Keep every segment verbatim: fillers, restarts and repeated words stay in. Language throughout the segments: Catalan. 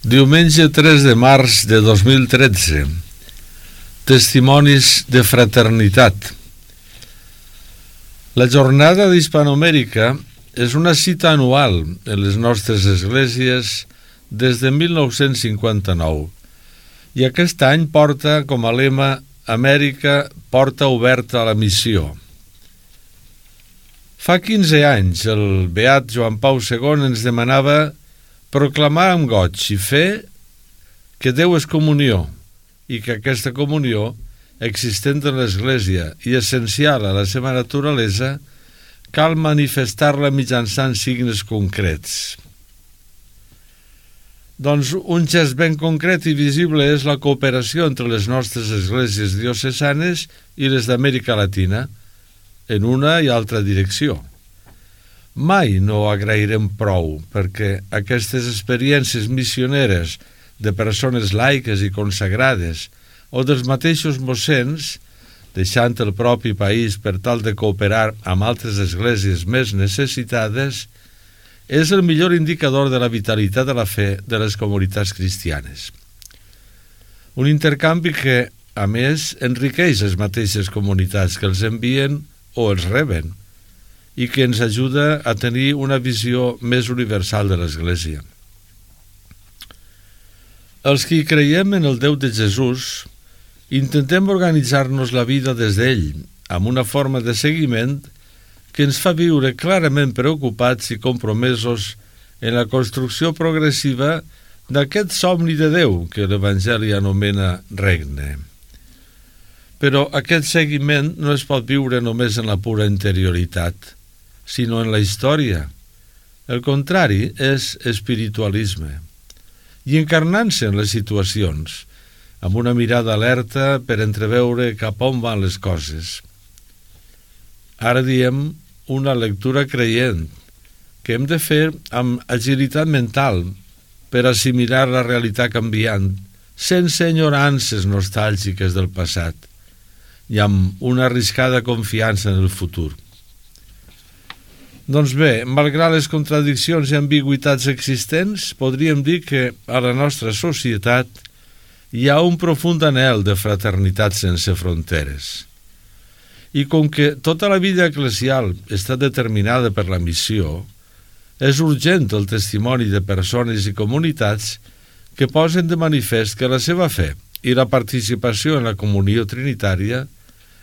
Diumenge tres de març de dos mil tretze. Testimonis de fraternitat. La jornada d'Hispanoamèrica és una cita anual en les nostres esglésies des de mil nou-cents cinquanta-nou i aquest any porta com a lema Amèrica, porta oberta a la missió. Fa quinze anys el beat Joan Pau segon ens demanava proclamar amb goig i fer que Déu és comunió i que aquesta comunió, existent en l'Església i essencial a la seva naturalesa, cal manifestar-la mitjançant signes concrets. Doncs un gest ben concret i visible és la cooperació entre les nostres esglésies diocesanes i les d'Amèrica Latina, en una i altra direcció. Mai no agrairem prou perquè aquestes experiències missioneres de persones laiques i consagrades o dels mateixos mossens, deixant el propi país per tal de cooperar amb altres esglésies més necessitades, és el millor indicador de la vitalitat de la fe de les comunitats cristianes. Un intercanvi que, a més, enriqueix les mateixes comunitats que els envien o els reben i que ens ajuda a tenir una visió més universal de l'Església. Els que creiem en el Déu de Jesús intentem organitzar-nos la vida des d'ell, amb una forma de seguiment que ens fa viure clarament preocupats i compromesos en la construcció progressiva d'aquest somni de Déu que l'Evangeli anomena regne. Però aquest seguiment no es pot viure només en la pura interioritat, sinó en la història. El contrari és espiritualisme. I encarnant-se en les situacions, amb una mirada alerta per entreveure cap on van les coses. Ara diem una lectura creient, que hem de fer amb agilitat mental per assimilar la realitat canviant, sense enyorances nostàlgiques del passat, i amb una arriscada confiança en el futur. Doncs bé, malgrat les contradiccions i ambigüitats existents, podríem dir que a la nostra societat hi ha un profund anhel de fraternitat sense fronteres. I com que tota la vida eclesial està determinada per la missió, és urgent el testimoni de persones i comunitats que posen de manifest que la seva fe i la participació en la comunió trinitària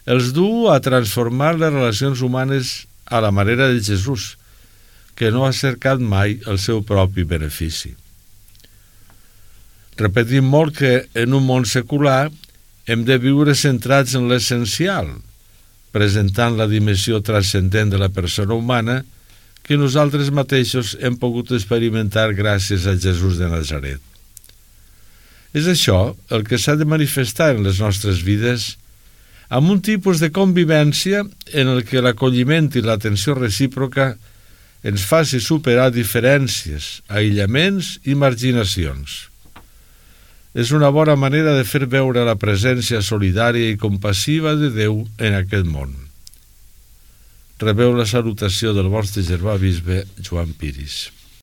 els du a transformar les relacions humanes a la manera de Jesús, que no ha cercat mai el seu propi benefici. Repetim molt que en un món secular hem de viure centrats en l'essencial, presentant la dimensió transcendent de la persona humana que nosaltres mateixos hem pogut experimentar gràcies a Jesús de Nazaret. És això el que s'ha de manifestar en les nostres vides amb un tipus de convivència en el que l'acolliment i l'atenció recíproca ens faci superar diferències, aïllaments i marginacions. És una bona manera de fer veure la presència solidària i compassiva de Déu en aquest món. Rebeu la salutació del vostre germà bisbe Joan Piris.